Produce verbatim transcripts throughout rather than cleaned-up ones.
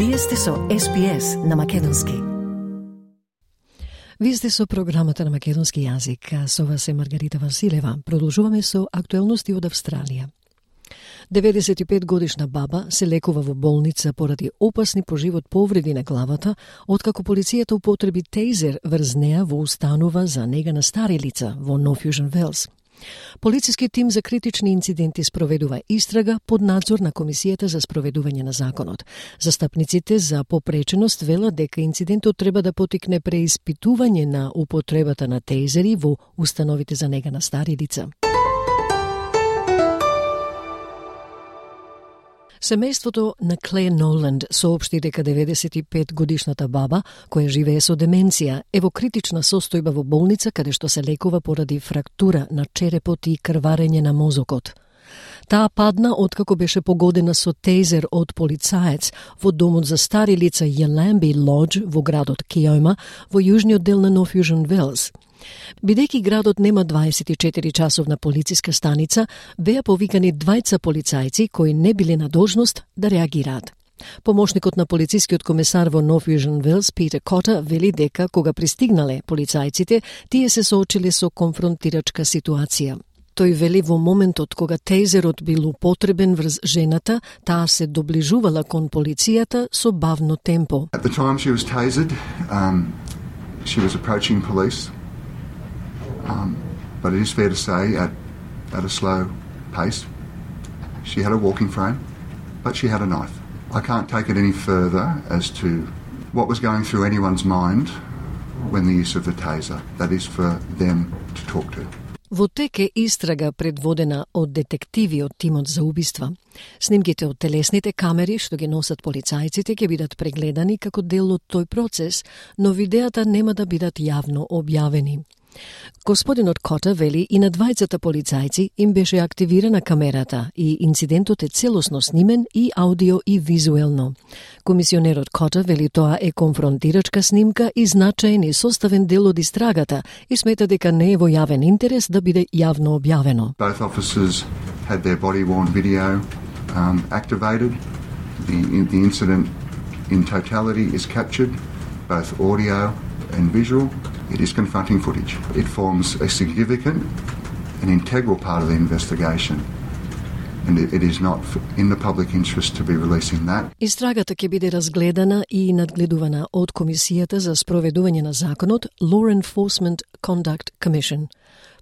Вие сте со Ес Би Ес на македонски. Вие сте со програмата на македонски јазик. Со вас е Маргарита Василева. Продолжуваме со актуелности од Австралија. деветдесет и пет годишна баба се лекува во болница поради опасни по живот повреди на главата, откако полицијата употреби тейзер врз неа во установа за нега на стари лица во North Fusion Wells. Полициски тим за критични инциденти спроведува истрага под надзор на Комисијата за спроведување на законот. Застапниците за попреченост велат дека инцидентот треба да потикне преиспитување на употребата на тейзери во установите за нега на стари лица. Семејството на Клеј Ноланд соопшти дека деветдесет и пет годишната баба, која живее со деменција, е во критична состојба во болница каде што се лекува поради фрактура на черепот и крварење на мозокот. Таа падна откако беше погодена со тейзер од полицаец во домот за стари лица Yallambee Lodge во градот Kioma во јужниот дел на North Fusion Wells. Бидејќи градот нема дваесет и четири часовна полициска станица, беа повикани двајца полицајци кои не биле на должност да реагираат. Помошникот на полицискиот комесар во North Fusion Wells, Питер Кота, вели дека кога пристигнале полицајците, тие се соочиле со конфронтирачка ситуација. Тој вели во моментот кога тейзерот бил употребен врз жената, таа се доближувала кон полицијата со бавно темпо. At the time she was tasered, um, she was approaching police. Um, but it is fair to say at, at a slow pace. She had a walking frame, but she had a knife. I can't take it any further as to what was going through anyone's mind when the use of the taser. That is for them to talk to. Во тек е истрага предводена од детективи од тимот за убиства. Снимките од телесните камери што ги носат полицајците ќе бидат прегледани како дел од тој процес, но видеата нема да бидат јавно објавени. Господинот Кота вели и на двајцата полицајци им беше активирана камерата и инцидентот е целосно снимен и аудио и визуелно. Комисионерот Кота вели тоа е конфронтирачка снимка и значаен и составен дел од истрагата и смета дека не е во јавен интерес да биде јавно објавено. Both officers had their body-worn video um, activated. The, the incident in totality is captured, both audio and visual. It is confronting footage. It forms a significant and integral part of the investigation. And it, it is not in the public interest to be releasing that. Истрагата ќе биде разгледана и надгледувана од Комисијата за спроведување на законот Law Enforcement Conduct Commission.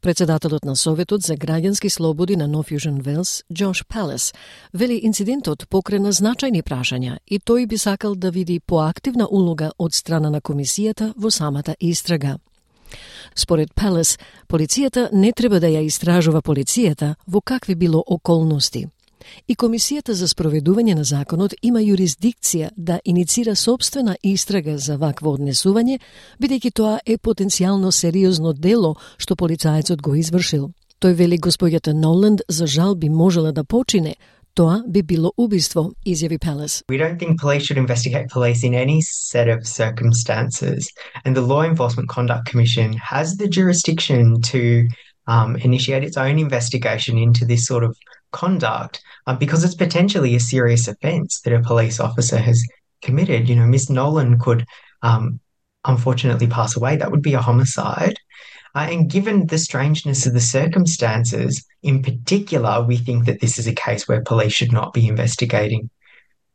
Председателот на Советот за граѓански слободи на North Fusion Wells, Джош Палес, вели инцидентот покрена значајни прашања и тој би сакал да види поактивна улога од страна на комисијата во самата истрага. Според Палес, полицијата не треба да ја истражува полицијата во какви било околности. И Комисијата за спроведување на законот има юрисдикција да иницира собствена истрага за вакво однесување, бидејќи тоа е потенцијално сериозно дело што полицајецот го извршил. Тој вели господјата Ноланд за жал би можела да почине, тоа би било убиство, изјави Палес. We don't think police should investigate police in any set of circumstances, and the Law Enforcement Conduct Commission has the jurisdiction to um, initiate its own investigation into this sort of conduct uh, because it's potentially a serious offence that a police officer has committed. You know, Miss Nolan could um, unfortunately pass away. That would be a homicide. Uh, and given the strangeness of the circumstances, in particular, we think that this is a case where police should not be investigating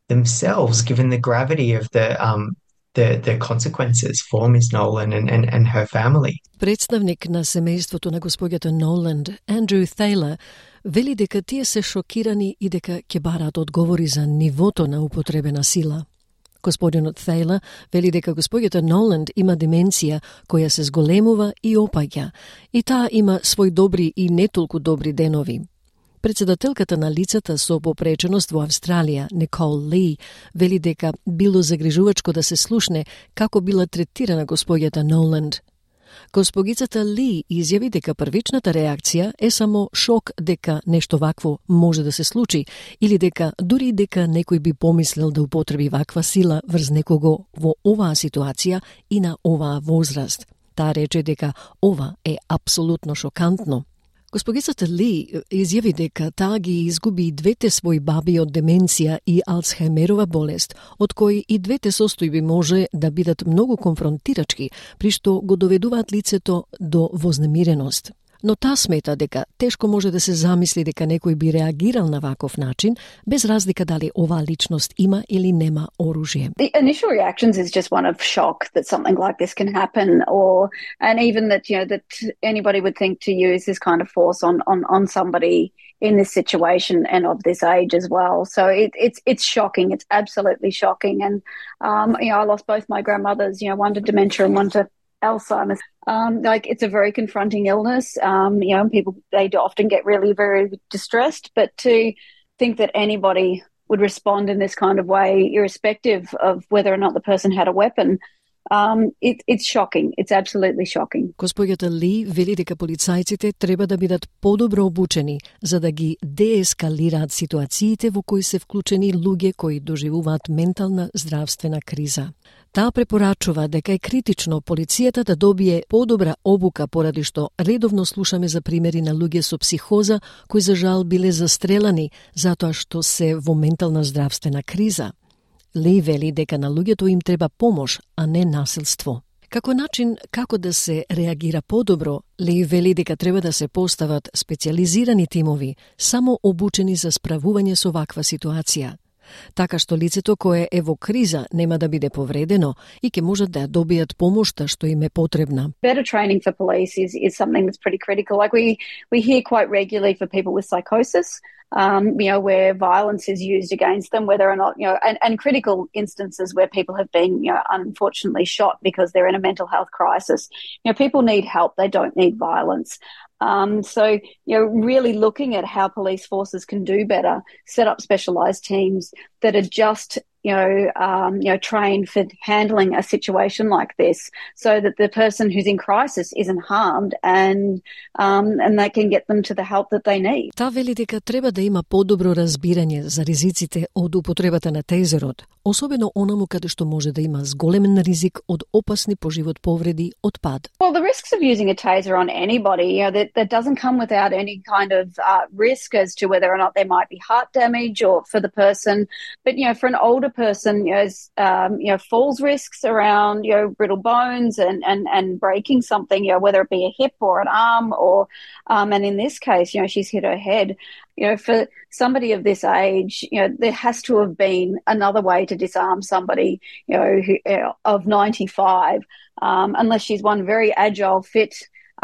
themselves, given the gravity of the um, the, the consequences for Miss Nolan and, and, and her family. Представник на семејството на господјата Ноланд, Андрю Тейлор, вели дека тие се шокирани и дека ќе бараат одговори за нивото на употребена сила. Господинот Тейлор вели дека господјата Ноланд има деменција која се зголемува и опаѓа, и таа има свој добри и не толку добри денови. Председателката на лицата со попреченост во Австралија, Никол Ли, вели дека било загрижувачко да се слушне како била третирана господјата Ноланд. Госпогицата Ли изјави дека првичната реакција е само шок дека нешто вакво може да се случи или дека дури дека некој би помислил да употреби ваква сила врз некого во оваа ситуација и на оваа возраст. Таа рече дека ова е апсолутно шокантно. Госпогицата Ли изјави дека таа ги изгуби и двете своји баби од деменција и Алцхаймерова болест, од кои и двете состојби може да бидат многу конфронтирачки, при што го доведуваат лицето до вознемиреност. Но таа смета дека тешко може да се замисли дека некој би реагирал на ваков начин, без разлика дали оваа личност има или нема оружје. The initial reactions is just one of shock that something like this can happen, or and even that you know that anybody would think to use this kind of force on on on somebody in this situation and of this age as well. So it, it's it's shocking. It's absolutely shocking. And um, you know, I lost both my grandmothers. You know, one to dementia and one to Alzheimer's. Um, like it's a very confronting illness. Um, you know, and people they often get really very distressed. But to think that anybody would respond in this kind of way, irrespective of whether or not the person had a weapon, um, it, it's shocking. It's absolutely shocking. Госпоѓата Ли вели дека полицајците треба да бидат подобро обучени за да ги деескалираат ситуациите во кои се вклучени луѓе кои доживуваат ментална здравствена криза. Таа препорачува дека е критично полицијата да добие подобра обука поради што редовно слушаме за примери на луѓе со психоза кои за жал биле застрелани затоа што се во ментална здравствена криза. Ли вели дека на луѓето им треба помош, а не насилство. Како начин како да се реагира подобро, Ли вели дека треба да се постават специјализирани тимови, само обучени за справување со ваква ситуација, така што лицето кое е во криза нема да биде повредено и ќе можат да добијат помошта што им е потребна. Better training for police is is something that's pretty critical. Like we we hear quite regularly for people with psychosis, um, you know, where violence is used against them, whether or not, you know, and, and critical instances where people have been, you know, unfortunately shot because they're in a mental health crisis. You know, people need help. They don't need violence. Um, so, you know, really looking at how police forces can do better, set up specialised teams that are just, you know, um, you know, trained for handling a situation like this, so that the person who's in crisis isn't harmed and um, and they can get them to the help that they need. Таа вели дека треба да има подобро разбирање за ризиците од употребата на тейзерот, особено онаму каде што може да има зголемен ризик од опасни по живот повреди од пад. Well, the risks of using a taser on anybody, you know, that, that doesn't come without any kind of uh, risk as to whether or not there might be heart damage or for the person. But, you know, for an older person, you know, um, you know, falls risks around, you know, brittle bones and, and, and breaking something, you know, whether it be a hip or an arm or, um, and in this case, you know, she's hit her head. You know, for somebody of this age, you know, there has to have been another way to disarm somebody, you know, who, uh, of ninety-five, um, unless she's one very agile, fit,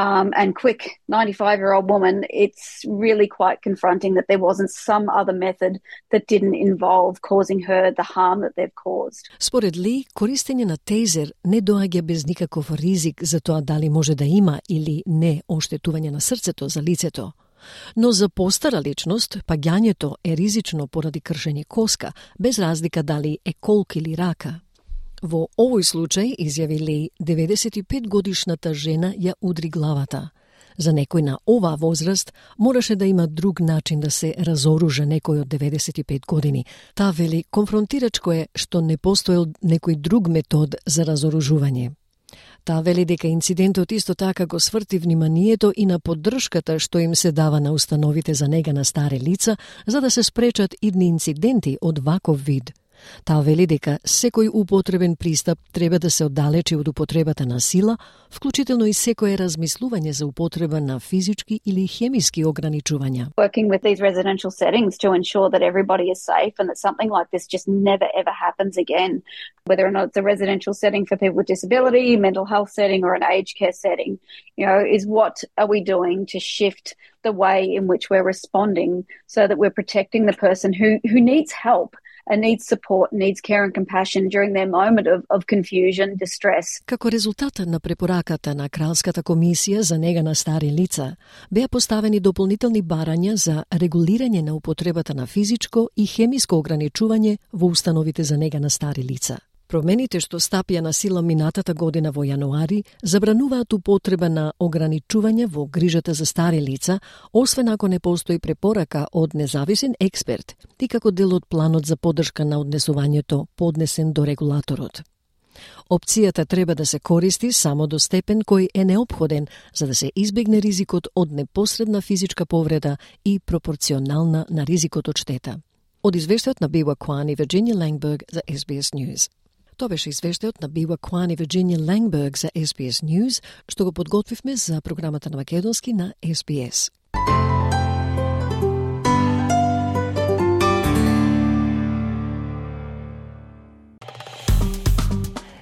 Um, and quick ninety-five-year-old woman. It's really quite confronting that there wasn't some other method that didn't involve causing her the harm that they've caused. Според Ли, користење на тейзер не доаѓа без никаков ризик за тоа дали може да има или не оштетување на срцето за лицето. Но за постара личност, паѓањето е ризично поради кршење коска, без разлика дали е колк или рака. Во овој случај, изјави Ли, деветдесет и пет годишната жена ја удри главата. За некој на оваа возраст мораше да има друг начин да се разоружа некој од деветдесет и пет години. Таа вели, конфронтирачко е што не постоел некој друг метод за разоружување. Таа вели дека инцидентот исто така го сврти вниманието и на поддршката што им се дава на установите за нега на стари лица, за да се спречат идни инциденти од ваков вид. Таа вели дека секој употребен пристап треба да се оддалечи од употребата на сила, вклучително и секое размислување за употреба на физички или хемиски ограничувања. Working with these residential settings to ensure that everybody is safe and that something like this just never ever happens again, whether or not it's a residential setting for people with disability, mental health setting or an aged care setting, you know, is what are we doing to shift the way in which we're responding so that we're protecting the person who who needs help and needs support, needs care and compassion during their moment of, of confusion, distress. Како резултат на препораката на Кралската комисија за нега на стари лица, беа поставени дополнителни барања за регулирање на употребата на физичко и хемиско ограничување во установите за нега на стари лица. Промените што стапија на сила минатата година во јануари забрануваат употреба на ограничување во грижата за стари лица, освен ако не постои препорака од независен експерт и како дел од планот за поддршка на однесувањето поднесен до регулаторот. Опцијата треба да се користи само до степен кој е неопходен за да се избегне ризикот од непосредна физичка повреда и пропорционална на ризикот од штета. Од извештајот на Бива Кван и Вирджинија Лангберг за Ес Би Ес News. Тоа беше извештајот на Бива Кван и Вирджинија Лангберг за Ес Би Ес News, што го подготвивме за програмата на македонски на Ес Би Ес.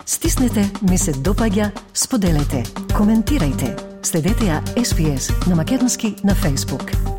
Стиснете, ми се допаѓа, споделете, коментирајте. Следете ја Ес Би Ес на македонски на Facebook.